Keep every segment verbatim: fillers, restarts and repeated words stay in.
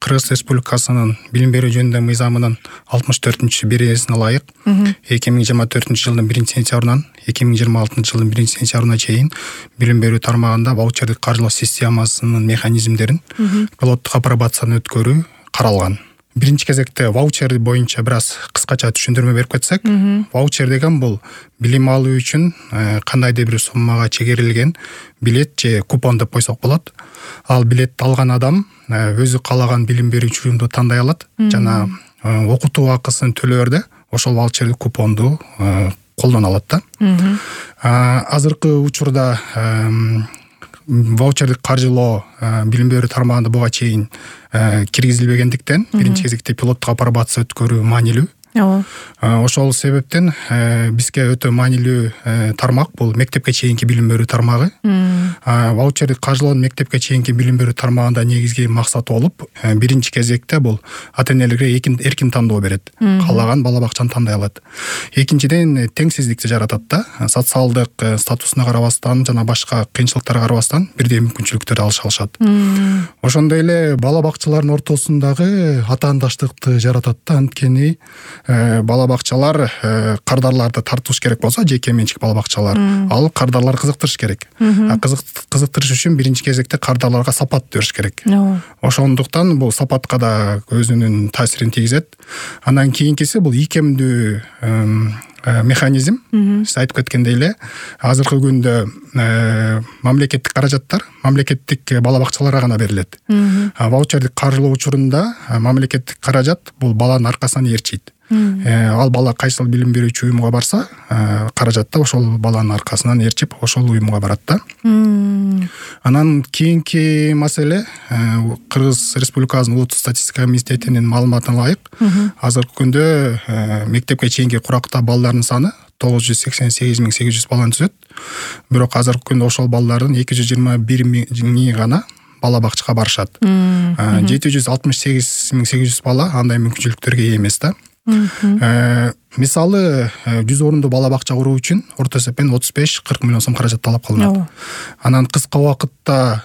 Кыргыз Республикасынын билим берүү жөнүндө мыйзамынын алтымыш төртүнчү беренесине ылайык эки миң жыйырма төртүнчү жылдын биринчи сентябрынан эки миң жыйырма алтынчы жылдын биринчи сентябрына чейин билим берүү тармагында ваучердик каржылоо системасынын механизмдерин пилоттук апробацияны өткөрүү каралган. Биринчи кезекте ваучер боюнча бир аз кыскача түшүндүрмө берип кетсек, ваучер деген бул билим алуу үчүн кандайдыр бир суммага чегерилген билет же купон деп койсок болот. Ал билетти алган адам өзү каалаган билим берүүчү уюмду тандай алат жана окутуу акысын төлөөрдө ошол ваучердик купонду колдоно алат да. Азыркы учурда ваучердик каржылоо билим берүү тармагында буга чейин киргизилбегендиктен биринчи кезекте пилоттук апробация өткөрүү маанилүү. Ошол себептен бизге өтө маанилүү тармак бул мектепке чейинки билим берүү тармагы. Ваучердик каржылоонун мектепке чейинки билим берүү тармагында негизги максаты болуп, биринчи кезекте бул ата-энелерге эркин тандоо берет. Каалаган бала бакчаны тандай алат. Экинчиден, теңсиздикти жаратат да. Социалдык статусуна карабастан жана башка кыйынчылыктарга карабастан бирдей мүмкүнчүлүктөрдү алыша алышат. Ошондой эле бала бакчалардын ортосундагы атаандаштыкты жаратат да. Анткени бала бакчалар кардарларды тартыш керек болсо, жеке менчик бала бакчалар, ал кардарлар кызыктырыш керек. А кызыктырыш үчүн биринчи кезекте кардарларга сапат бериш керек. Ошондуктан бул сапатка да өзүнүн таасирин тийгизет. Андан кийинкиси бул ийкемдүү механизм. Сиз айтып кеткендей эле, азыркы күндө мамлекеттик каражаттар мамлекеттик бала бакчаларга гана берилет. Ваучердик каржылоо учурунда мамлекеттик каражат бул баланын аркасынан ээрчийт. Ал бала кайсыл билим берүүчү уюмга барса, каражат да ошол баланын аркасынан ээрчип ошол уюмга барат да. Анан кийинки маселе, Кыргыз Республикасынын улуттук статистика комитетинин маалыматына ылайык, азыркы күндө мектепке чейинки куракта балдардын саны тогуз жүз сексен сегиз миң сегиз жүз баланы түзөт. Бирок азыркы күндө ошол балдардын эки жүз жыйырма бир миңи гана бала бакчага барышат. жети жүз алтымыш сегиз миң сегиз жүз бала андай мүмкүнчүлүктөргө ээ эмес да. Мисалы, жүз орунду бала бакча куруу үчүн орто эсеппен отуз беш кырк миллион сом каражат талап кылынат. Анан кыска убакытта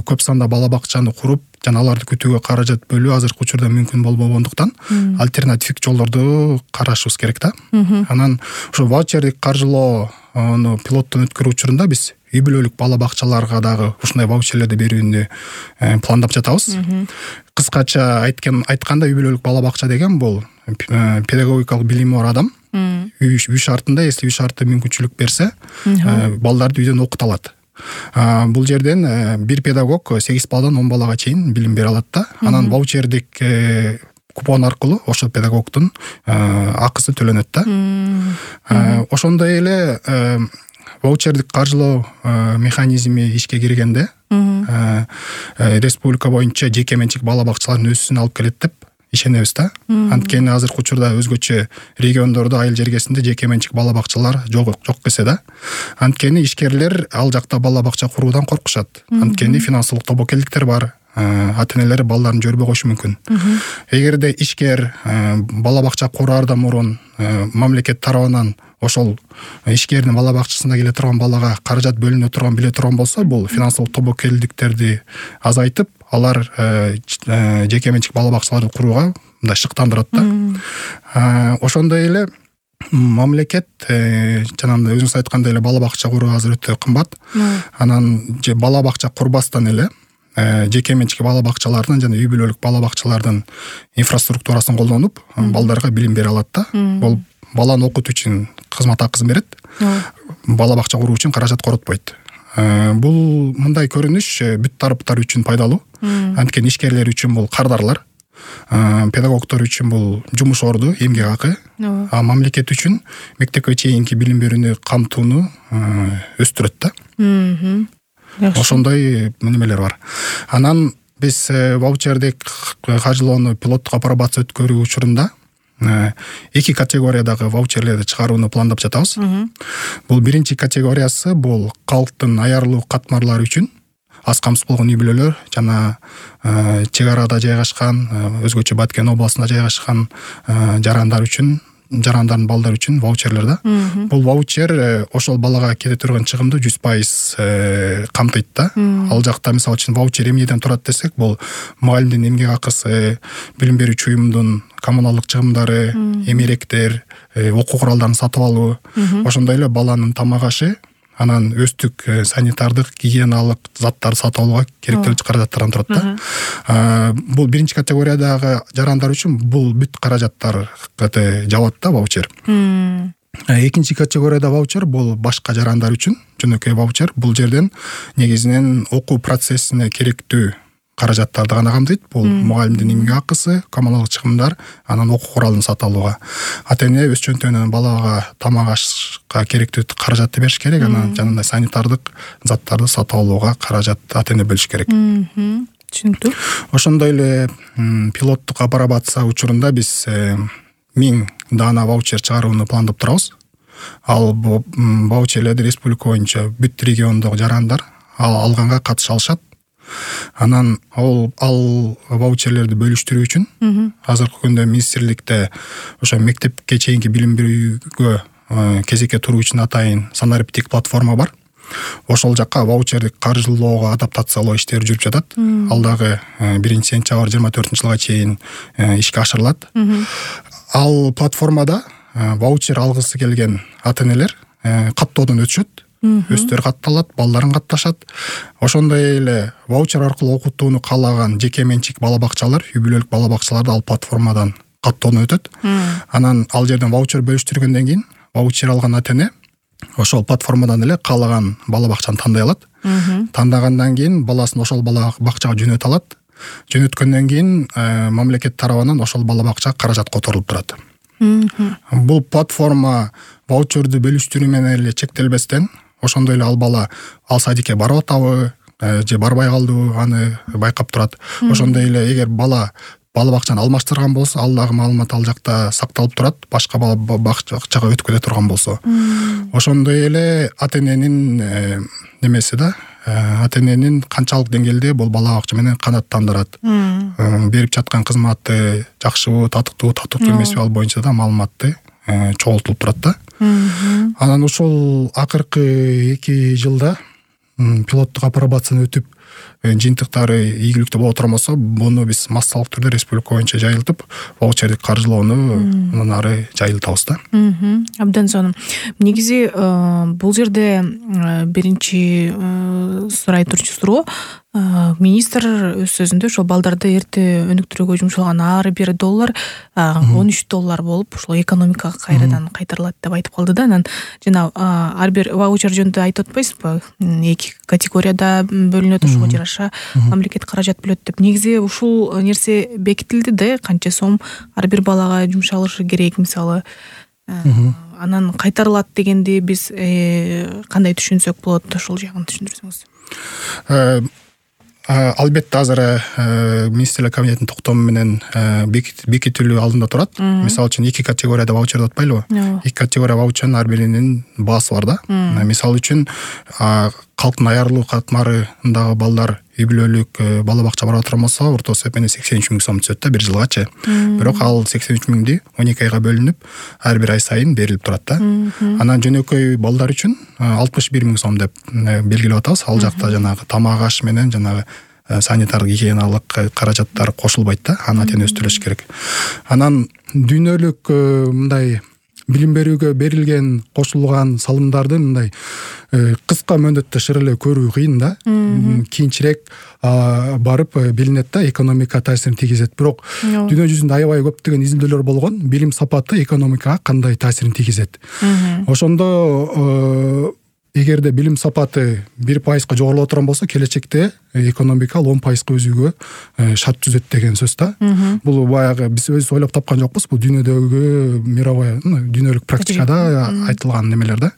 көп санда бала бакчаны куруп жана аларды күтүүгө каражат бөлүү азыркы учурда мүмкүн болбогондуктан альтернативдик жолдорду карашыбыз керек да. Анан ошо ваучердик каржылоону пилоттон өткөрүү учурунда биз үй бүлөлүк бала бакчаларга дагы ушундай ваучерлерди берүүнү пландап жатабыз. Кыскача айткан айтканда үй бүлөлүк бала бакча деген бул педагогикалык билими бар адам үй шартында, если үй шарты мүмкүнчүлүк берсе, балдарды үйдөн окута алат. Бул жерден бир педагог сегиз баладан он балага чейин билим бере алат да. Анан ваучердик купон аркылуу ошол педагогдун акысы төлөнөт да. Ошондой эле ваучердик каржылоо механизми ишке киргенде республика боюнча жеке менчик бала бакчалардын өсүүсүнө алып келет деп ишенебиз да. Анткени азыркы учурда өзгөчө региондордо, айыл жергесинде жеке менчик бала бакчалар жок жок десе да. Анткени ишкерлер ал жакта бала бакча куруудан коркушат. Анткени финансылык тобокелдиктер бар. Ата-энелер балдарын жөрбөй коюшу мүмкүн. Эгерде ишкер бала бакча кураардан мурун мамлекет тарабынан ошол ишкердин бала бакчасында келе турган балага каражат бөлүнө турган биле турган болсо, бул финансылык тобокелдиктерди азайтып, алар жеке менчик бала бакчаларды курууга мындай шыктандырат да. Ошондой эле мамлекет жанагындай өзүңүз айткандай эле бала бакча куруу азыр өтө кымбат. Анан же бала бакча курбастан эле жеке менчик бала бакчалардын жана үй бүлөлүк бала бакчалардын инфраструктурасын колдонуп, балдарга билим бере алат да. Бул баланы окутуу үчүн кызмат акысын берет. Бала бакча куруу үчүн каражат коротпойт. Бул мындай көрүнүш бүт тараптар үчүн пайдалуу. Анткени ишкерлер үчүн бул кардарлар, педагогдор үчүн бул жумуш орду, эмгек акы, а мамлекет үчүн мектепке чейинки билим берүүнү камтууну өстүрөт да. Ошондой немелер бар. Анан биз ваучердик каржылоону пилоттук апробация өткөрүү учурунда эки категориядагы ваучерлерди чыгарууну пландап жатабыз. Бул биринчи категориясы бул калктын аярлуу катмарлары үчүн, аз камсыз болгон үй бүлөлөр жана чек арада жайгашкан, өзгөчө Баткен областында жайгашкан жарандар үчүн жарандардын балдары үчүн ваучерлер да. Бул ваучер ошол балага кете турган чыгымды жүз пайыз камтыйт да. Ал жакта мисалы үчүн ваучер эмнеден турат десек, бул мугалимдин эмгек акысы, билим берүүчү уюмдун коммуналдык чыгымдары, эмеректер, окуу куралдарын сатып алуу, ошондой эле баланын тамак ашы, анан өздүк санитардык, гигиеналык заттарды сатып алууга керектүү каражаттардан турат да. Бул биринчи категориядагы жарандар үчүн бул бүт каражаттар жабат да ваучер. Экинчи категорияда ваучер бул башка жарандар үчүн жөнөкөй ваучер. Бул жерден негизинен окуу процессине керектүү каражаттарды гана камтыйт. Бул мугалимдин эмгек акысы, коммуналдык чыгымдар, анан окуу куралын сатып алууга. Ата-эне өз чөнтөгүнөн балага тамак ашка керектүү каражатты бериш керек, анан жанагындай санитардык заттарды сатып алууга каражат ата-эне бөлүш керек. Түшүнүктүү. Ошондой эле пилоттук апробация учурунда биз миң даана ваучер чыгарууну пландап турабыз. Ал ваучерлерди республика боюнча бүт региондогу жарандар алганга катыша алышат. Анан ал ал ваучерлерди бөлүштүрүү үчүн азыркы күндө министрликте ошо мектепке чейинки билим берүүгө кезекке туруу үчүн атайын санариптик платформа бар. Ошол жакка ваучерди каржылоого, адаптациялоо иштери жүрүп жатат. Ал дагы биринчи сентябрь жыйырма төртүнчү жылга чейин ишке ашырылат. Ал платформада ваучер алгысы келген ата-энелер каттоодон өтүшөт. Өздөрү катталат, балдарын катташат. Ошондой эле ваучер аркылуу окутууну каалаган жеке менчик бала бакчалар, үй бүлөлүк бала бакчалар да ал платформадан каттоодон өтөт. Анан ал жерден ваучер бөлүштүргөндөн кийин ваучер алган ата-эне ошол платформадан эле каалаган бала бакчаны тандай алат. Тандагандан кийин баласын ошол бала бакчага жөнөтө алат. Жөнөткөндөн кийин мамлекет тарабынан ошол бала бакча каражат которулуп турат. Бул платформа ваучерди бөлүштүрүү менен эле чектелбестен, ошондой эле ал бала ал садикке барып атабы же барбай калдыбы аны байкап турат. Ошондой эле эгер бала бала бакчаны алмаштырган болсо, ал дагы маалымат ал жакта сакталып турат, башка бала бакчага өтүп кете турган болсо. Ошондой эле ата-эненин немеси да, ата-эненин канчалык деңгээлде бул бала бакча менен канааттандырат. Берип жаткан кызматы жакшыбы, татыктуу, татыктуу эмеспи, ал боюнча да маалыматты чогултулуп турат да. Анан ушул акыркы эки жылда пилоттук апробацияны өтүп, жыйынтыктары ийгиликтүү боло турган болсо, буну биз массалык түрдө республика боюнча жайылтып, ваучерди каржылоону андан ары жайылтабыз да. Абдан сонун. Негизи бул жерде биринчи сурай турчу суроо, министр өз сөзүндө ошол балдарды эрте өнүктүрүүгө жумшалган ар бир доллар он үч доллар болуп, ошол экономикага кайрадан кайтарылат деп айтып калды да. Анан жана ар бир ваучер жөнүндө айтып атпайсызбы? Эки категорияда бөлүнөт, ошого жараша мамлекет каражат бөлөт деп. Негизи ушул нерсе бекитилди да, канча сом ар бир балага жумшалышы керек, мисалы. Анан кайтарылат дегенди биз кандай түшүнсөк болот, ошол жагын түшүндүрсөңүз. Албетте азыр министрлер кабинетинин токтому менен бекитилүү алдында турат. Мисалы үчүн эки категорияда ваучер деп атпайлыбы? Эки категория ваучердин ар биринин баасы бар да. Мисалы үчүн калктын аярылуу катмарындагы балдар үй бүлөлүк бала бакча барып турган болсо, орто эсеп менен сексен үч миң сом түшөт да бир жылгачы. Бирок ал сексен үч миңди он эки айга бөлүнүп, ар бир ай сайын берилип турат да. Анан жөнөкөй балдар үчүн алтымыш бир миң сом деп белгилеп атабыз. Ал жакта жанагы тамак аш менен жанагы санитардык гигиеналык каражаттар кошулбайт да, аны ата-эне өзү төлөш керек. Анан дүйнөлүк мындай билим берүүгө берилген кошулган салымдарды мындай кыска мөөнөттө шыр эле көрүү кыйын да. Кийинчерээк барып билинет да, экономика таасирин тийгизет. Бирок дүйнө жүзүндө аябай көптөгөн изилдөөлөр болгон, билим сапаты экономикага кандай таасирин тийгизет. Ошондо эгерде билим сапаты бир пайызга жогорулап турган болсо, келечекте экономика он пайызга өсүүгө шарт түзөт деген сөз да. Бул баягы биз өзүбүз ойлоп тапкан жокпуз, бул дүйнөдөгү мировой, дүйнөлүк практикада айтылган немелер да.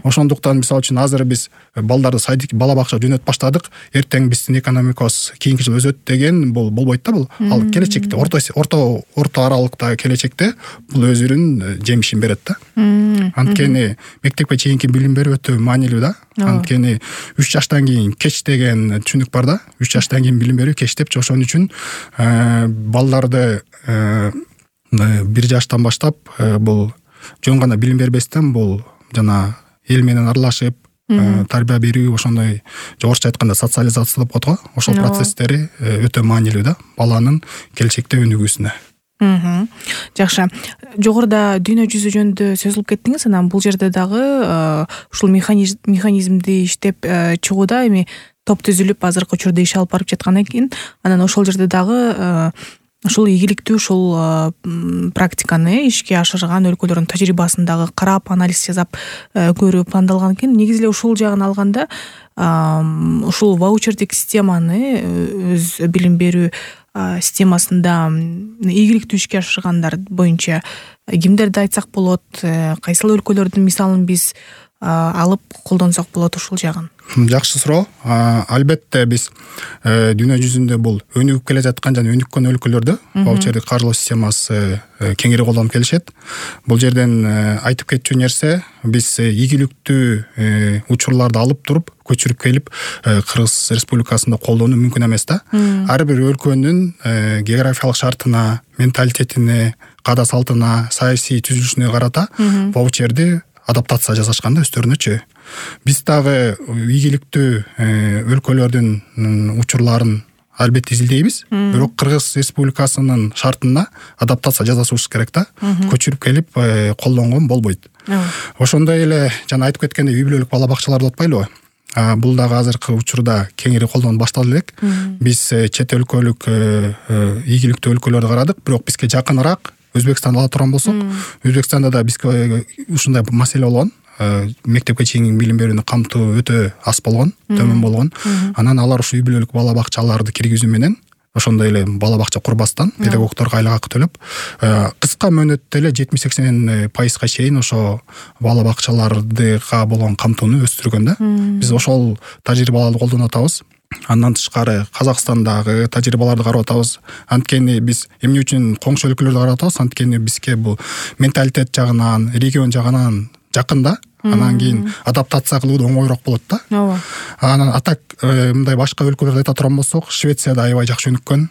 Ошондуктан мисалы үчүн азыр биз балдарды садик, бала бакча жөнөтүп баштадык, эртең биздин экономикабыз кийинки жыл өсөт деген бул болбойт да. Бул ал келечекте, орто орто орто аралыкта келечекте бул өзүнүн жемишин берет да. Анткени мектепке чейинки билим берүү өтө маанилүү да. Анткени үч жаштан кийин кеч деген түшүнүк бар да. үч жаштан кийин билим берүү кеч депчи. Ошон үчүн балдарды бир жаштан баштап бул жөн гана билим бербестен бул жана эл менен аралашып тарбия берүү, ошондой жогоруча айтканда социализация деп коет го, ошол процесстери өтө маанилүү да баланын келечекте өнүгүүсүнө. Жакшы. Жогоруда дүйнө жүзү жөнүндө сөз кылып кеттиңиз, анан бул жерде дагы ушул механизмди иштеп чыгууда эми топ түзүлүп азыркы учурда иш алып барып жаткан экен. Анан ошол жерде дагы ушул ийгиликтүү ушул практиканы ишке ашырган өлкөлөрдүн тажрыйбасын дагы карап, анализ жасап көрүү пландалган экен. Негизи эле ушул жагын алганда ушул ваучердик системаны өз билим берүү системасында ийгиликтүү ишке ашыргандар боюнча кимдерди айтсак болот, кайсыл өлкөлөрдүн мисалын биз алып колдонсок болот ушул жагын? Жакшы суроо. Албетте биз дүйнө жүзүндө бул өнүгүп келе жаткан жана өнүккөн өлкөлөрдө ваучердик каржылоо системасы кеңири колдонуп келишет. Бул жерден айтып кетчү нерсе, биз ийгиликтүү учурларды алып туруп көчүрүп келип Кыргыз Республикасында колдонуу мүмкүн эмес да. Ар бир өлкөнүн географиялык шартына, менталитетине, каада салтына, саясий түзүлүшүнө карата ваучерди адаптация жасашканда өздөрүнөчү. Биз дагы ийгиликтүү өлкөлөрдүн учурларын албетте изилдейбиз, бирок Кыргыз Республикасынын шартына адаптация жасашыбыз керек да. Көчүрүп келип колдонгон болбойт. Ошондой эле жана айтып кеткендей үй бүлөлүк бала бакчалар деп атпайлыбы? Бул дагы азыркы учурда кеңири колдонуп башталды элек. Биз чет өлкөлүк ийгиликтүү өлкөлөрдү карадык, бирок бизге жакыныраак Өзбекстанды ала турган болсок, Өзбекстанда да бизге ушундай маселе болгон. Мектепке чейинки билим берүүнү камтуу өтө аз болгон, төмөн болгон. Анан алар ушу үй бүлөлүк бала бакчаларды киргизүү менен, ошондой эле бала бакча курбастан педагогдорго айлык акы төлөп, кыска мөөнөттө эле жетимиш сексен пайызга чейин ошо бала бакчалардыга болгон камтууну өстүргөн да. Биз ошол тажрыйбаларды колдонуп атабыз. Андан тышкары Казакстандагы тажрыйбаларды карап атабыз. Анткени биз эмне үчүн коңшу өлкөлөрдү карап атабыз? Анткени бизге бул менталитет жагынан, регион жагынан жакын да. Анан кийин адаптация кылуу оңоюраак болот да. Ооба. Анан атак мындай башка өлкөлөрдү айта турган болсок, Швецияда аябай жакшы өнүккөн,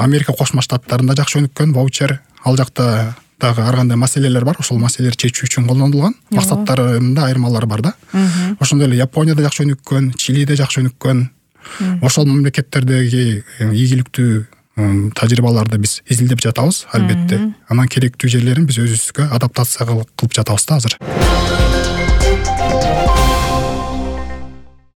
Америка Кошмо Штаттарында жакшы өнүккөн ваучер. Ал жакта дагы ар кандай маселелер бар, ошол маселелерди чечүү үчүн колдонулган. Максаттарында айырмалар бар да. Ошондой эле Японияда жакшы өнүккөн, Чилиде жакшы өнүккөн. Ошол мамлекеттердеги ийгиликтүү тажрыйбаларды биз изилдеп жатабыз, албетте. Анан керектүү жерлерин биз өзүбүзгө адаптация кылып жатабыз да азыр.